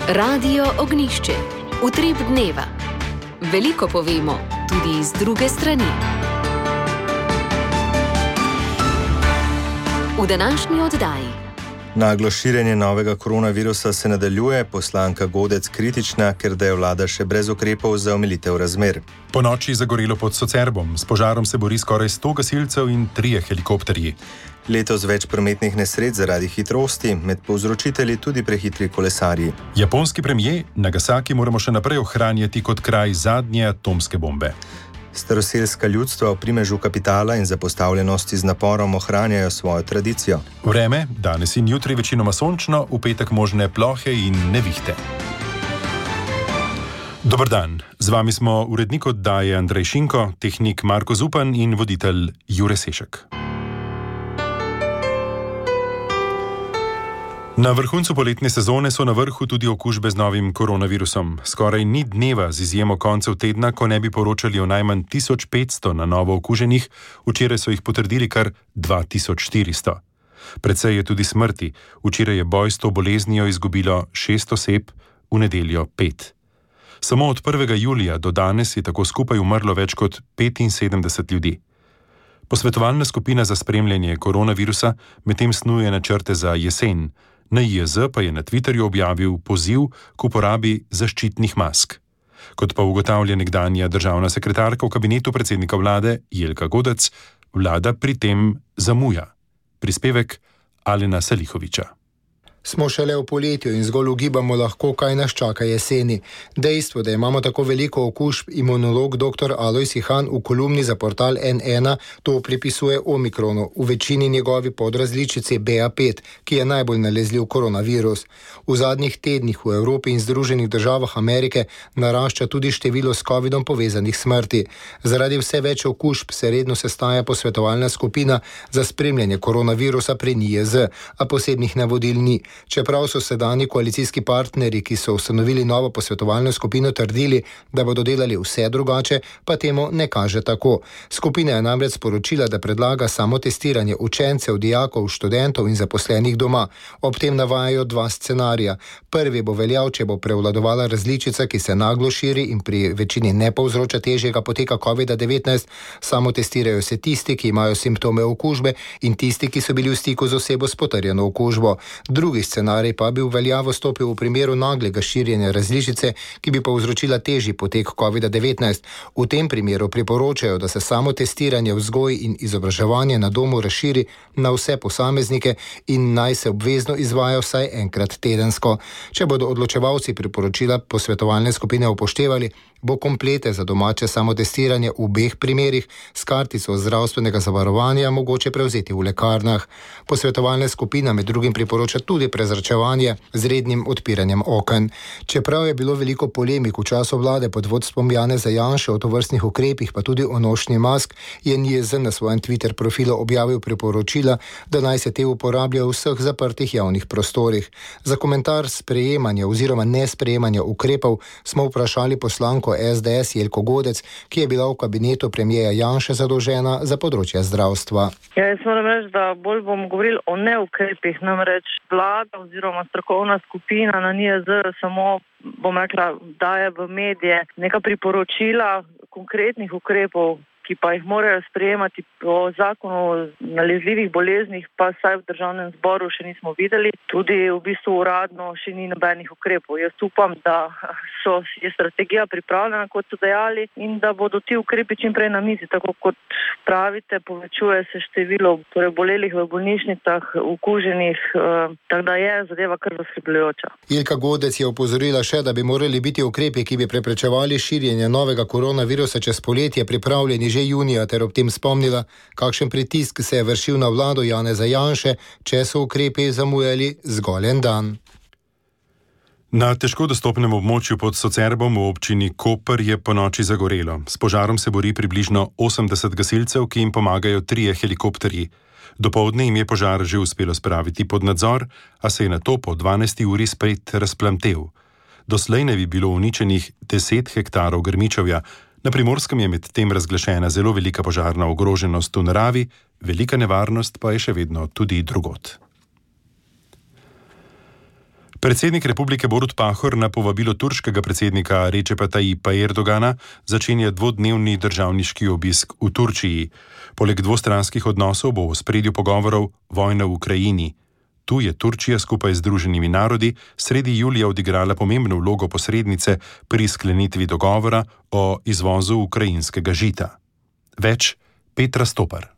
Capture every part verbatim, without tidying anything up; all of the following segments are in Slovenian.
Radio Ognišče, utrip dneva. Veliko povemo, tudi iz druge strani. V današnji oddaji. Naglo širjenje novega koronavirusa se nadaljuje, poslanka Godec kritična, ker da je vlada še brez ukrepov za omilitev razmer. Po noči zagorelo pod Socerbom, s požarom se bori skoraj sto gasilcev in trije helikopterji. Letos več prometnih nesreč zaradi hitrosti, med povzročitelji tudi prehitri kolesarji. Japonski premijer, Nagasaki moramo še naprej ohranjati kot kraj zadnje atomske bombe. Staroselska ljudstva v primežu kapitala in zapostavljenosti z naporom ohranjajo svojo tradicijo. Vreme, danes in jutri večinoma sončno, v petek možne plohe in nevihte. Dober dan, z vami smo urednik oddaje Andrej Šinko, tehnik Marko Zupan in voditelj Jure Sešek. Na vrhuncu poletne sezone so na vrhu tudi okužbe z novim koronavirusom. Skoraj ni dneva z izjemo koncev tedna, ko ne bi poročali o najmanj tisoč petsto na novo okuženih, včeraj so jih potrdili kar dva tisoč štiristo. Precej je tudi smrti, včeraj je boj s to boleznijo izgubilo šest oseb, v nedeljo pet. Samo od prvega julija do danes je tako skupaj umrlo več kot petinsedemdeset ljudi. Posvetovalna skupina za spremljanje koronavirusa medtem snuje načrte za jesen. Na I Z pa je na Twitterju objavil poziv k uporabi zaščitnih mask. Kot pa ugotavlja nekdanja državna sekretarka v kabinetu predsednika vlade Jelka Godec, vlada pri tem zamuja. Prispevek Alena Salihoviča. Smo šele v poletju in zgolj ugibamo lahko, kaj nas čaka jeseni. Dejstvo, da imamo tako veliko okužb, imunolog dr. Alojz Ihan v kolumni za portal N ena to pripisuje omikronu, v večini njegovi podrazličici B A pet, ki je najbolj nalezljiv koronavirus. V zadnjih tednih v Evropi in Združenih državah Amerike narašča tudi število s covidom povezanih smrti. Zaradi vse več okužb se redno sestaja posvetovalna skupina za spremljanje koronavirusa pri N I Z, a posebnih navodil ni. Čeprav so sedanji koalicijski partnerji, ki so ustanovili novo posvetovalno skupino, trdili, da bodo delali vse drugače, pa temu ne kaže tako. Skupina je namreč sporočila, da predlaga samo testiranje učencev, dijakov, študentov in zaposlenih doma. Ob tem navajajo dva scenarija. Prvi bo veljal, če bo prevladovala različica, ki se naglo širi in pri večini ne povzroča težjega poteka covid devetnajst. Samo testirajo se tisti, ki imajo simptome okužbe, in tisti, ki so bili v stiku z osebo s potrjeno okužbo. Drugi scenarij pa bi v veljavo stopil v primeru naglega širjenja različice, ki bi povzročila težji potek covid devetnajst. V tem primeru priporočajo, da se samo testiranje, vzgoj in izobraževanje na domu razširi na vse posameznike in naj se obvezno izvaja vsaj enkrat tedensko. Če bodo odločevalci priporočila posvetovalne skupine upoštevali, bo komplete za domače samotestiranje v obeh primerih s kartico zdravstvenega zavarovanja mogoče prevzeti v lekarnah. Posvetovalna skupina med drugim priporoča tudi prezračevanje z rednim odpiranjem oken. Čeprav je bilo veliko polemik v času vlade pod vodstvom Janeza Janše o tovrstnih ukrepih, pa tudi o nošnji mask, je N I Z na svojem Twitter profilu objavil priporočila, da naj se te uporablja v vseh zaprtih javnih prostorih. Za komentar sprejemanja oziroma nesprejemanja ukrepov smo vprašali poslanko S D S Jelko Godec, ki je bila v kabinetu premierja Janše zadolžena za področje zdravstva. Ja, jaz moram reči, da bolj bomo govorili o neukrepih, namreč vlada oziroma strokovna skupina na N I Z samo, bom rekla, daje v medije neka priporočila konkretnih ukrepov, ki pa jih morajo sprejemati po zakonu o nalezljivih boleznih, pa saj v državnem zboru še nismo videli. Tudi v bistvu uradno še ni nobenih ukrepov. Jaz upam, da so, je strategija pripravljena, kot so dejali, in da bodo ti ukrepi čim prej na mizi. Tako kot pravite, povečuje se število torej bolelih v bolnišnicah, okuženih, eh, tako da je zadeva kar zaskrbljujoča. Jelka Godec je opozorila še, da bi morali biti ukrepi, ki bi preprečevali širjenje novega koronavirusa čez poletje, pripravljeni že junija, ter ob tem spomnila, kakšen pritisk se je vršil na vlado Janeza Janše, če so ukrepi zamujali zgolj en dan. Na težko dostopnem območju pod Socerbom v občini Koper je ponoči zagorelo. S požarom se bori približno osemdeset gasilcev, ki jim pomagajo trije helikopterji. Dopoldne jim je požar že uspelo spraviti pod nadzor, a se je nato po dvanajsti uri spet razplamtel. Doslej ne bi bilo uničenih deset hektarov grmičevja. Na Primorskem je med tem razglašena zelo velika požarna ogroženost v naravi, velika nevarnost pa je še vedno tudi drugod. Predsednik republike Borut Pahor na povabilo turškega predsednika Recepa Tayyipa Erdogana začenja dvodnevni državniški obisk v Turčiji. Poleg dvostranskih odnosov bo v ospredju pogovorov vojna v Ukrajini. Tu je Turčija skupaj z Združenimi narodi sredi julija odigrala pomembno vlogo posrednice pri sklenitvi dogovora o izvozu ukrajinskega žita. Več Petra Stopar.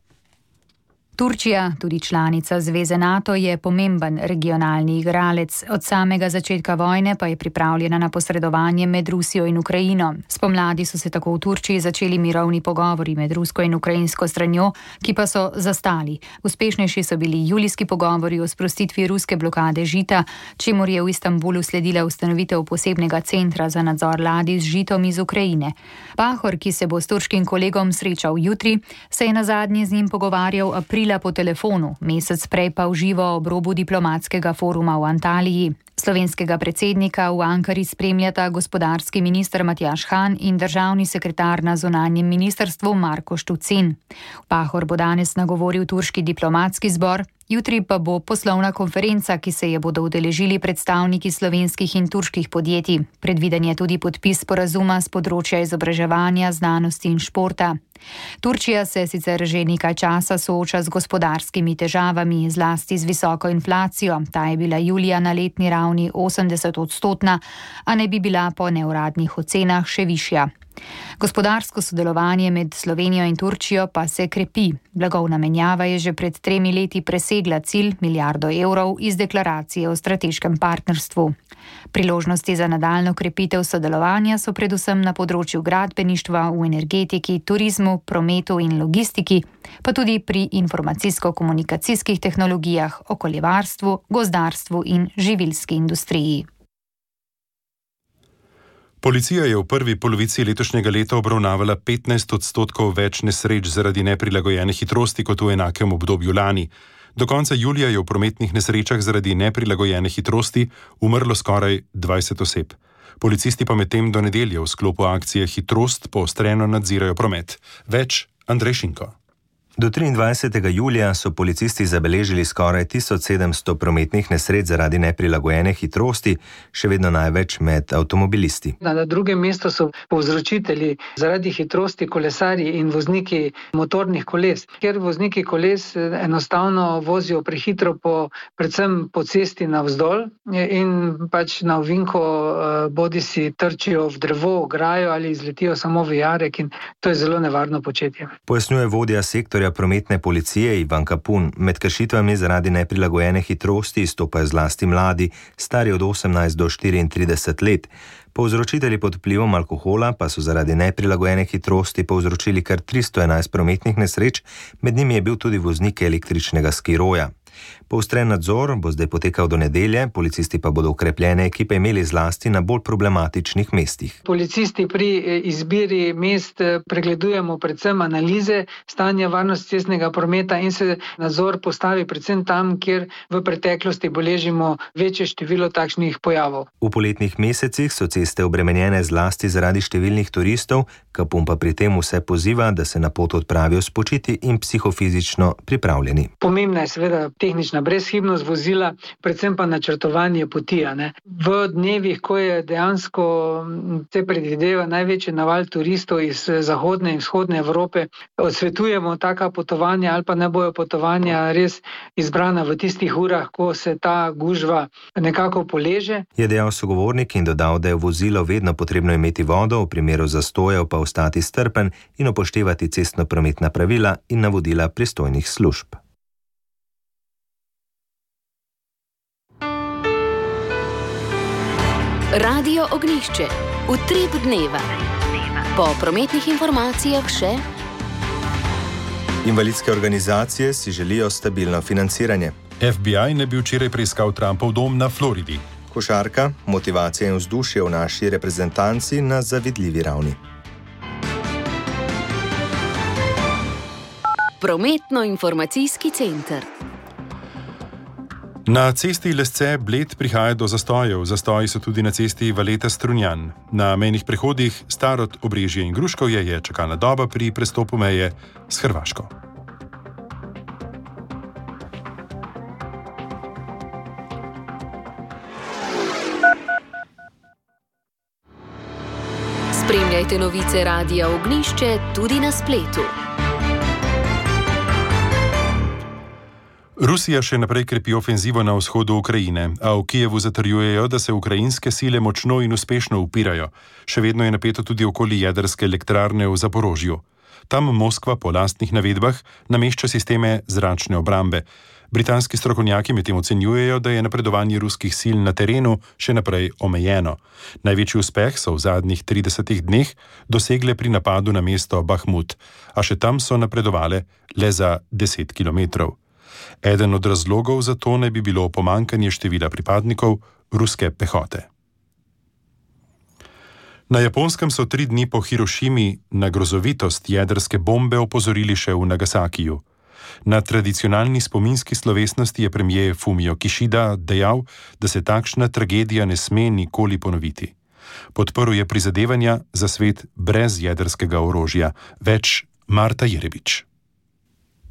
Turčija, tudi članica Zveze NATO, je pomemben regionalni igralec. Od samega začetka vojne pa je pripravljena na posredovanje med Rusijo in Ukrajino. Spomladi so se tako v Turčiji začeli mirovni pogovori med rusko in ukrajinsko stranjo, ki pa so zastali. Uspešnejši so bili julijski pogovori o sprostitvi ruske blokade žita, čemur je v Istanbulu sledila ustanovitev posebnega centra za nadzor ladij z žitom iz Ukrajine. Pahor, ki se bo s turškim kolegom srečal jutri, se je nazadnje z njim pogovarjal aprila po telefonu, mesec prej pa v živo ob robu diplomatskega foruma v Antaliji. Slovenskega predsednika v Ankari spremljata gospodarski minister Matjaž Han in državni sekretar na zunanjem ministrstvu Marko Štucin. Pahor bo danes nagovoril turški diplomatski zbor, jutri pa bo poslovna konferenca, ki se je bodo udeležili predstavniki slovenskih in turških podjetij. Predviden je tudi podpis sporazuma z področja izobraževanja, znanosti in športa. Turčija se sicer že nekaj časa sooča z gospodarskimi težavami, zlasti z visoko inflacijo. Ta je bila julija na letni ravni osemdeset odstotna, a ne bi bila po neuradnih ocenah še višja. Gospodarsko sodelovanje med Slovenijo in Turčijo pa se krepi. Blagovna menjava je že pred tremi leti presegla cilj milijardo evrov iz deklaracije o strateškem partnerstvu. Priložnosti za nadaljnjo krepitev sodelovanja so predvsem na področju gradbeništva, v energetiki, turizmu, prometu in logistiki, pa tudi pri informacijsko-komunikacijskih tehnologijah, okoljevarstvu, gozdarstvu in živilski industriji. Policija je v prvi polovici letošnjega leta obravnavala petnajst odstotkov več nesreč zaradi neprilagojene hitrosti kot v enakem obdobju lani. Do konca julija je v prometnih nesrečah zaradi neprilagojene hitrosti umrlo skoraj dvajset oseb. Policisti pa medtem do nedelje v sklopu akcije Hitrost poostreno nadzirajo promet. Več Andrej Šinko. Do triindvajsetega julija so policisti zabeležili skoraj tisoč sedemsto prometnih nesreč zaradi neprilagojene hitrosti, še vedno največ med avtomobilisti. Na drugem mestu so povzročitelji zaradi hitrosti kolesarji in vozniki motornih koles, ker vozniki koles enostavno vozijo prehitro po, predvsem po cesti navzdol in pač na ovinko bodi si trčijo v drevo, ograjo ali izletijo samo v jarek in to je zelo nevarno početje. Pojasnjuje vodja sektorja prometne policije Ivan Kapun. Med kršitvami zaradi neprilagojene hitrosti izstopajo zlasti mladi, stari od osemnajst do štiriintrideset let. Povzročitelji pod vplivom alkohola pa so zaradi neprilagojene hitrosti povzročili kar tristo enajst prometnih nesreč, med njimi je bil tudi voznik električnega skiroja. Poostren nadzor bo zdaj potekal do nedelje, policisti pa bodo okrepljene ekipe imeli zlasti na bolj problematičnih mestih. Policisti pri izbiri mest pregledujemo predvsem analize stanja varnosti cestnega prometa in se nadzor postavi predvsem tam, kjer v preteklosti beležimo večje število takšnih pojavov. V poletnih mesecih so ceste obremenjene zlasti zaradi številnih turistov, Kapun pa pri tem vse poziva, da se na pot odpravijo spočiti in psihofizično pripravljeni. Pomembna je seveda tehnična brezhibnost vozila, predvsem pa načrtovanje poti. Ne? V dnevih, ko je dejansko se predvideva največji naval turistov iz zahodne in vzhodne Evrope, odsvetujemo taka potovanja ali pa ne bojo potovanja res izbrana v tistih urah, ko se ta gužva nekako poleže. Je dejal sogovornik in dodal, da je v vozilo vedno potrebno imeti vodo, v primeru zastojev pa ostati strpen in upoštevati cestno-prometna pravila in navodila pristojnih služb. Radio Ognjišče. Utrip dneva. Po prometnih informacijah še. Invalidske organizacije si želijo stabilno financiranje. F B I ne bi včeraj preiskal Trumpov dom na Floridi. Košarka, motivacija in vzdušje v naši reprezentanci na zavidljivi ravni. Prometno-informacijski center. Na cesti Lesce-Bled prihaja do zastojev. Zastoji so tudi na cesti Valeta-Strunjan. Na mejnih prehodih Starod, Obrežje in Gruškovje je čakalna doba pri prestopu meje s Hrvaško. Spremljajte novice Radia Ognišče tudi na spletu. Rusija še naprej krepi ofenzivo na vzhodu Ukrajine, a v Kijevu zatrjujejo, da se ukrajinske sile močno in uspešno upirajo. Še vedno je napeto tudi okoli jedrske elektrarne v Zaporožju. Tam Moskva po lastnih navedbah namešča sisteme zračne obrambe. Britanski strokovnjaki medtem ocenjujejo, da je napredovanje ruskih sil na terenu še naprej omejeno. Največji uspeh so v zadnjih tridesetih dneh dosegle pri napadu na mesto Bahmut, a še tam so napredovale le za deset kilometrov. Eden od razlogov za to naj bi bilo pomanjkanje števila pripadnikov ruske pehote. Na Japonskem so tri dni po Hirošimi na grozovitost jedrske bombe opozorili še v Nagasakiju. Na tradicionalni spominski slovesnosti je premier Fumio Kishida dejal, da se takšna tragedija ne sme nikoli ponoviti. Podprl je prizadevanja za svet brez jedrskega orožja. Več Marta Jerebič.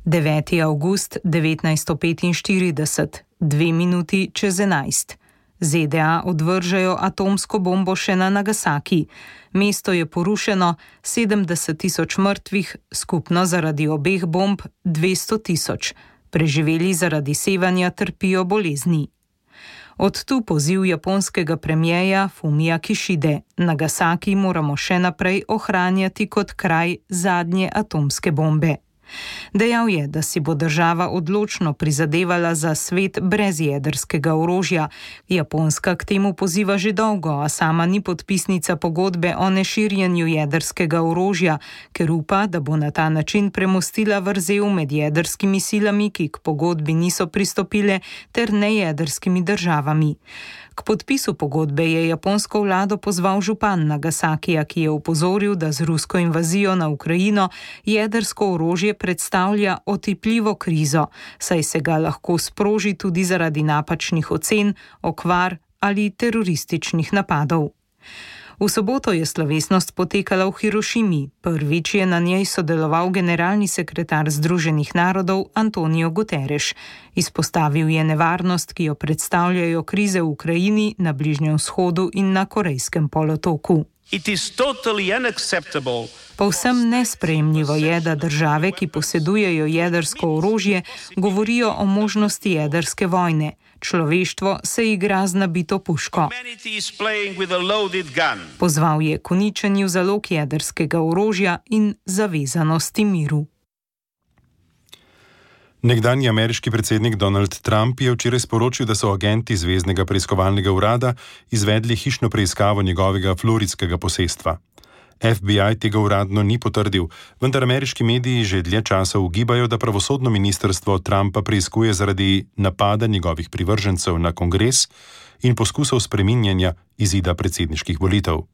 deveti avgust devetnajststo petinštirideset, dve minuti čez enajst. Z D A odvržejo atomsko bombo še na Nagasaki. Mesto je porušeno, sedemdeset tisoč mrtvih, skupno zaradi obeh bomb dvesto tisoč. Preživeli zaradi sevanja trpijo bolezni. Od tu poziv japonskega premierja Fumia Kishide. Nagasaki moramo še naprej ohranjati kot kraj zadnje atomske bombe. Dejal je, da si bo država odločno prizadevala za svet brez jedrskega orožja. Japonska k temu poziva že dolgo, a sama ni podpisnica pogodbe o neširjenju jedrskega orožja, ker upa, da bo na ta način premostila vrzel med jedrskimi silami, ki k pogodbi niso pristopile, ter nejedrskimi državami. K podpisu pogodbe je japonsko vlado pozval župan Nagasakija, ki je opozoril, da z rusko invazijo na Ukrajino jedrsko orožje predstavlja otipljivo krizo, saj se ga lahko sproži tudi zaradi napačnih ocen, okvar ali terorističnih napadov. V soboto je slovesnost potekala v Hirošimi. Prvič je na njej sodeloval generalni sekretar Združenih narodov Antonio Guterres. Izpostavil je nevarnost, ki jo predstavljajo krize v Ukrajini, na Bližnjem vzhodu in na Korejskem polotoku. Povsem nesprejemljivo je, da države, ki posedujejo jedrsko orožje, govorijo o možnosti jedrske vojne. Človeštvo se igra z nabito puško. Pozval je k uničenju zalog jedrskega orožja in zavezanosti miru. Nekdanji ameriški predsednik Donald Trump je včeraj sporočil, da so agenti Zveznega preiskovalnega urada izvedli hišno preiskavo njegovega floridskega posestva. F B I tega uradno ni potrdil, vendar ameriški mediji že dlje časa ugibajo, da pravosodno ministrstvo Trumpa preiskuje zaradi napada njegovih privržencev na kongres in poskusov spreminjanja izida predsedniških volitev.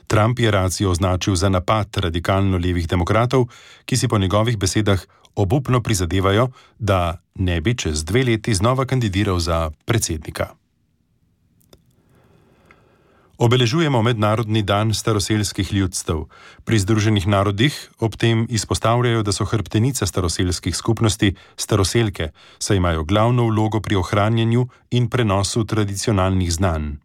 Trump je racijo označil za napad radikalno levih demokratov, ki si po njegovih besedah obupno prizadevajo, da ne bi čez dve leti znova kandidiral za predsednika. Obeležujemo Mednarodni dan staroselskih ljudstev. Pri Združenih narodih ob tem izpostavljajo, da so hrbtenica staroselskih skupnosti staroselke, saj imajo glavno vlogo pri ohranjanju in prenosu tradicionalnih znanj.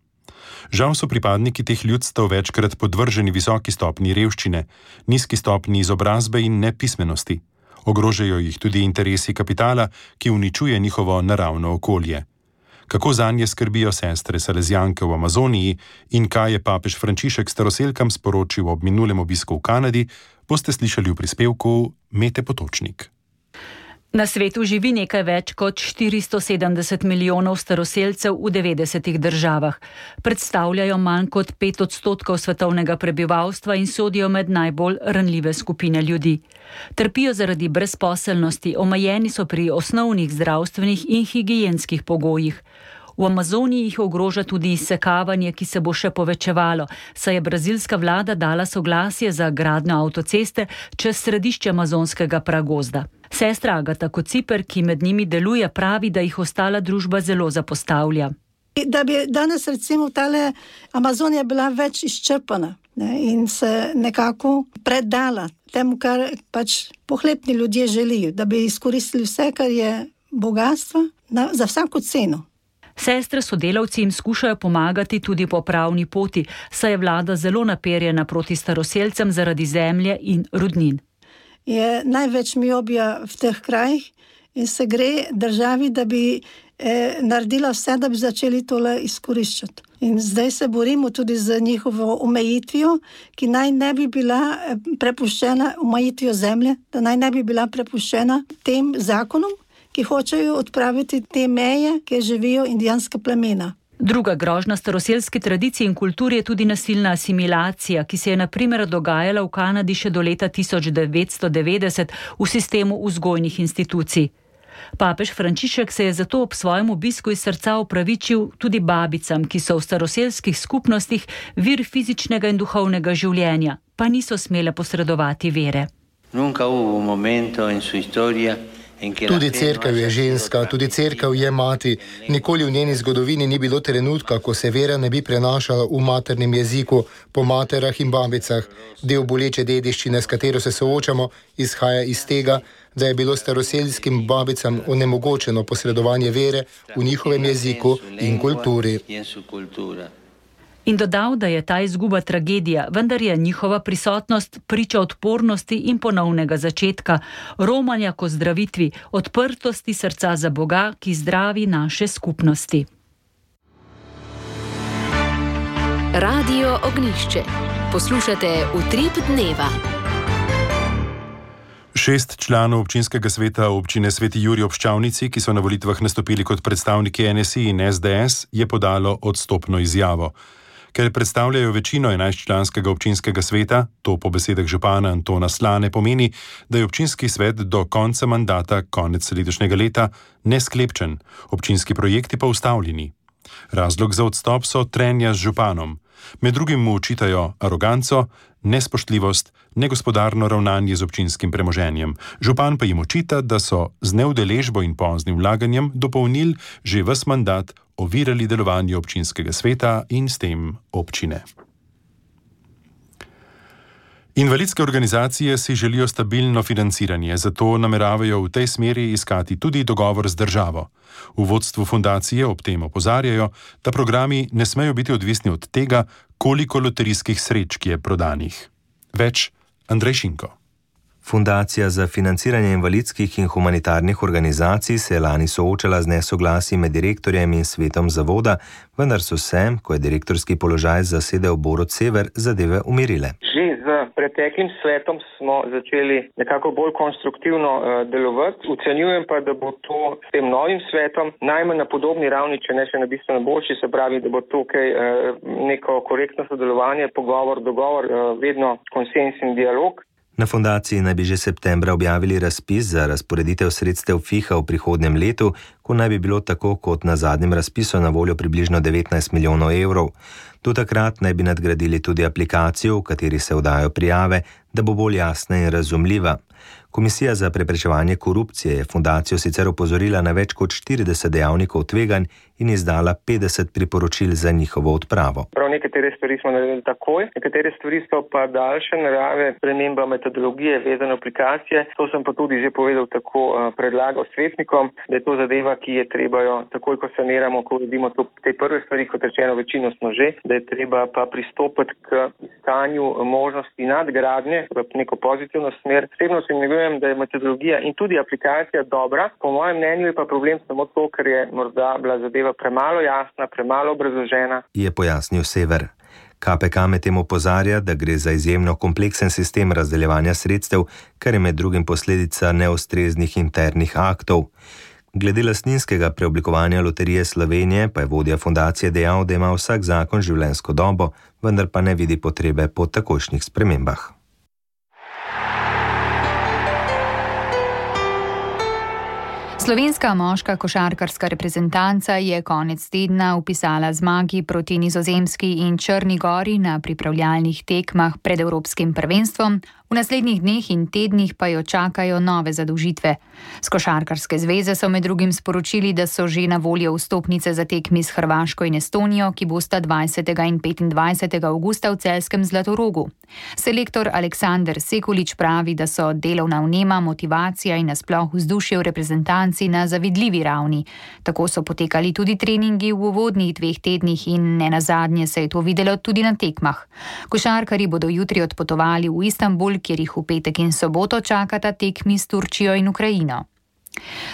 Žal so pripadniki teh ljudstev večkrat podvrženi visoki stopnji revščine, nizki stopnji izobrazbe in nepismenosti. Ogrožajo jih tudi interesi kapitala, ki uničuje njihovo naravno okolje. Kako zanje skrbijo sestre Salezijanke v Amazoniji in kaj je papež Frančišek staroselkam sporočil ob minulem obisku v Kanadi, boste slišali v prispevku Mete Potočnik. Na svetu živi nekaj več kot štiristo sedemdeset milijonov staroselcev v devetdesetih državah. Predstavljajo manj kot pet odstotkov svetovnega prebivalstva in sodijo med najbolj ranljive skupine ljudi. Trpijo zaradi brezposelnosti, omejeni so pri osnovnih zdravstvenih in higienskih pogojih. V Amazoniji jih ogroža tudi izsekavanje, ki se bo še povečevalo, saj je brazilska vlada dala soglasje za gradnjo avtoceste čez središče amazonskega pragozda. Sestra Agata Kociper, ki med njimi deluje, pravi, da jih ostala družba zelo zapostavlja. Da bi danes recimo tale Amazonija bila več izčrpana, ne, in se nekako predala temu, kar pač pohlepni ljudje želijo, da bi izkoristili vse, kar je bogatstvo, na, za vsako ceno. Sestre sodelavci jim skušajo pomagati tudi po pravni poti, saj je vlada zelo naperjena proti staroselcem zaradi zemlje in rudnin. Je največ miobija v teh krajih in se gre državi, da bi eh, naredila vse, da bi začeli tole izkoriščati. In zdaj se borimo tudi z njihovo omejitvijo, ki naj ne bi bila prepuščena, omejitvijo zemlje, da naj ne bi bila prepuščena tem zakonom, ki hočejo odpraviti te meje, kjer živijo indijanska plemena. Druga grožnja staroselski tradiciji in kulturi je tudi nasilna asimilacija, ki se je na primer dogajala v Kanadi še do leta tisoč devetsto devetdeset v sistemu vzgojnih institucij. Papež Frančišek se je zato ob svojem obisku iz srca opravičil tudi babicam, ki so v staroselskih skupnostih vir fizičnega in duhovnega življenja, pa niso smele posredovati vere. Nunca hubo un momento in su historia. Tudi cerkev je ženska, tudi cerkev je mati. Nikoli v njeni zgodovini ni bilo trenutka, ko se vera ne bi prenašala v maternem jeziku, po materah in babicah. Del boleče dediščine, s katero se soočamo, izhaja iz tega, da je bilo staroselskim babicam onemogočeno posredovanje vere v njihovem jeziku in kulturi. In dodal, da je ta izguba tragedija, vendar je njihova prisotnost priča odpornosti in ponovnega začetka, romanja k ozdravitvi, odprtosti srca za Boga, ki zdravi naše skupnosti. Radio Ognjišče. Poslušate Utrip dneva. Šest članov občinskega sveta občine Sveti Jurij ob Ščavnici, ki so na volitvah nastopili kot predstavniki N S I in S D S, je podalo odstopno izjavo. Ker predstavljajo večino enajstčlanskega občinskega sveta, to po besedah župana Antona Slane pomeni, da je občinski svet do konca mandata, konec letošnjega leta, nesklepčen, občinski projekti pa ustavljeni. Razlog za odstop so trenja z županom. Med drugim mu očitajo aroganco, nespoštljivost, negospodarno ravnanje z občinskim premoženjem. Župan pa jim očita, da so z neudeležbo in poznim vlaganjem dopolnili že ves mandat, ovirali delovanje občinskega sveta in s tem občine. Invalidske organizacije si želijo stabilno financiranje, zato nameravajo v tej smeri iskati tudi dogovor z državo. V vodstvu fundacije ob tem opozarjajo, da programi ne smejo biti odvisni od tega, koliko loterijskih srečk je prodanih. Več Andrej Šinko. Fundacija za financiranje invalidskih in humanitarnih organizacij se je lani soočala z nesoglasji med direktorjem in svetom zavoda, vendar so se, ko je direktorski položaj zasedel Borut Sever, zadeve umirile. Že z preteklim svetom smo začeli nekako bolj konstruktivno uh, delovati. Ocenjujem pa, da bo to s tem novim svetom najmanj na podobni ravni, če ne še na bistveno boljši, se pravi, da bo tukaj uh, neko korektno sodelovanje, pogovor, dogovor, uh, vedno konsens in dialog. Na fundaciji naj bi že septembra objavili razpis za razporeditev sredstev F I H-a v prihodnjem letu, ko naj bi bilo tako kot na zadnjem razpisu na voljo približno devetnajst milijonov evrov. Do takrat naj bi nadgradili tudi aplikacijo, v kateri se oddajo prijave, da bo bolj jasna in razumljiva. Komisija za preprečevanje korupcije je fundacijo sicer opozorila na več kot štirideset dejavnikov tveganj in izdala petdeset priporočil za njihovo odpravo. Prav nekatere stvari smo naredili takoj, nekatere stvari so pa daljše narave, sprememba metodologije, vezane aplikacije. To sem pa tudi že povedal, tako predlagal svetnikom, da je to zadeva, ki je treba jo takoj, ko saniramo, ko vidimo to, te prve stvari, kot rečeno, večino smo že, da je treba pa pristopiti k iskanju možnosti nadgradnje v neko pozitivno smer. Osebno se negujem, da je metodologija in tudi aplikacija dobra. Po mojem mnenju je pa problem samo to, ker je morda bila zadeva premalo jasna, premalo obrazložena. Je pojasnil Sever. K P K medtem opozarja, da gre za izjemno kompleksen sistem razdeljevanja sredstev, kar je med drugim posledica neustreznih internih aktov. Glede lastninskega preoblikovanja Loterije Slovenije pa je vodja fundacije dejal, da ima vsak zakon življenjsko dobo, vendar pa ne vidi potrebe po takojšnjih spremembah. Slovenska moška košarkarska reprezentanca je konec tedna vpisala zmagi proti Nizozemski in Črni Gori na pripravljalnih tekmah pred Evropskim prvenstvom v V naslednjih dneh in tednih pa jo čakajo nove zadolžitve. S Košarkarske zveze so med drugim sporočili, da so že na voljo vstopnice za tekmi s Hrvaško in Estonijo, ki bosta dvajsetega in petindvajsetega avgusta v celjskem Zlatorogu. Selektor Aleksandar Sekulič pravi, da so delovna vnema, motivacija in nasploh vzdušje v reprezentanci na zavidljivi ravni. Tako so potekali tudi treningi v uvodnih dveh tednih in nenazadnje se je to videlo tudi na tekmah. Košarkarji bodo jutri odpotovali v Istanbul, kjer jih v petek in soboto čakata tekmi s Turčijo in Ukrajino.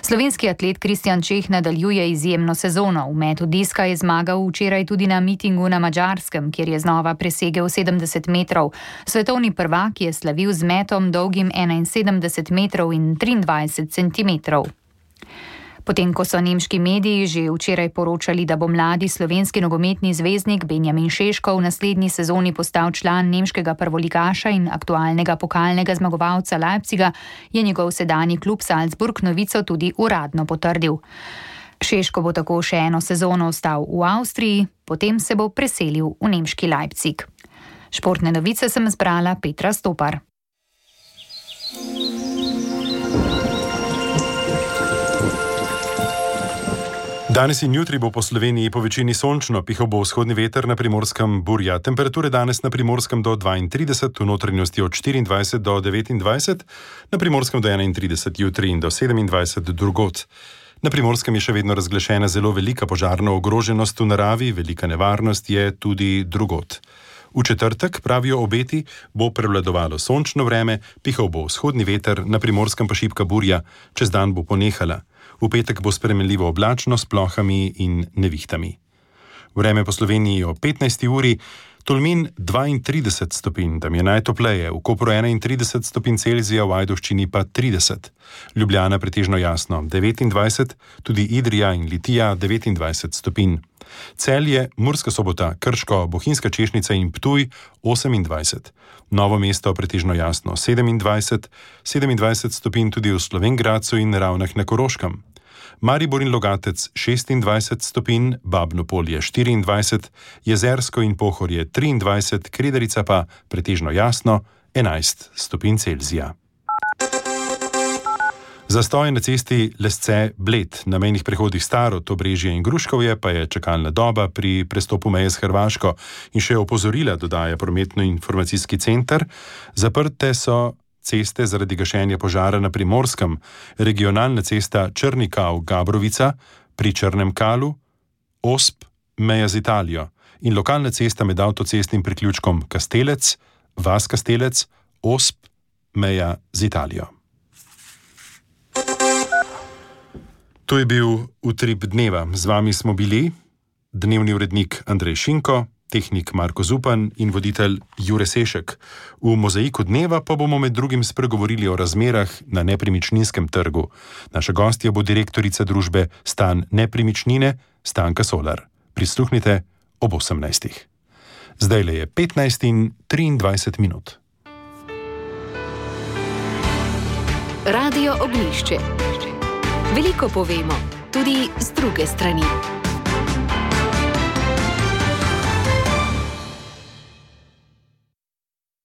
Slovenski atlet Kristjan Čeh nadaljuje izjemno sezono. V metu diska je zmagal včeraj tudi na mitingu na Madžarskem, kjer je znova presegel sedemdeset metrov. Svetovni prvak je slavil z metom dolgim enainsedemdeset metrov in triindvajset centimetrov. Potem, ko so nemški mediji že včeraj poročali, da bo mladi slovenski nogometni zvezdnik Benjamin Šeško v naslednji sezoni postal član nemškega prvoligaša in aktualnega pokalnega zmagovalca Leipziga, je njegov sedanji klub Salzburg novico tudi uradno potrdil. Šeško bo tako še eno sezono ostal v Avstriji, potem se bo preselil v nemški Leipzig. Športne novice sem zbrala Petra Stopar. Danes in jutri bo po Sloveniji po večini sončno, pihal bo vzhodni veter, na Primorskem burja. Temperature danes na Primorskem do dvaintrideset, v notranjosti od štiriindvajset do devetindvajset, na Primorskem do enaintrideset jutri in do sedemindvajset drugod. Na Primorskem je še vedno razglašena zelo velika požarna ogroženost v naravi, velika nevarnost je tudi drugod. V četrtek, pravijo obeti, bo prevladovalo sončno vreme, pihal bo vzhodni veter, na Primorskem pa šibka burja, čez dan bo ponehala. V petek bo spremenljivo oblačno s plohami in nevihtami. Vreme po Sloveniji o petnajsti uri, Tolmin dvaintrideset stopinj, tam je najtopleje, v Kopru enaintrideset stopinj Celzija, v Ajdovščini pa trideset. Ljubljana pretežno jasno devetindvajset, tudi Idrija in Litija devetindvajset stopinj. Celje, Murska Sobota, Krško, Bohinjska Češnica in Ptuj osemindvajset. Novo mesto pretežno jasno sedemindvajset, sedemindvajset stopinj tudi v Slovenj Gradcu in Ravnah na Koroškem. Maribor in Logatec šestindvajset stopinj, Babno Polje štiriindvajset, Jezersko in Pohorje triindvajset, Kredarica pa pretežno jasno enajst stopinj Celzija. Zastoj na cesti Lesce-Bled, na mejnih prehodih Starod, Obrežje in Gruškovje pa je čakalna doba pri prestopu meje s Hrvaško in še opozorila dodaja prometno-informacijski center. Zaprte so ceste zaradi gašenja požara na Primorskem, regionalna cesta Črnikav-Gabrovica pri Črnem Kalu, Osp, meja z Italijo in lokalna cesta med avtocestnim priključkom Kastelec, Vas Kastelec, Osp, meja z Italijo. To je bil Utrip dneva. Z vami smo bili dnevni urednik Andrej Šinko, tehnik Marko Zupan in voditelj Jure Sešek. V Mozaiku dneva pa bomo med drugim spregovorili o razmerah na nepremičninskem trgu. Naša gostja bo direktorica družbe Stan Nepremičnine, Stanka Solar. Prisluhnite ob osemnajstih. Zdajle je petnajst in triindvajset minut. Radio Ognjišče. Veliko povemo, tudi z druge strani.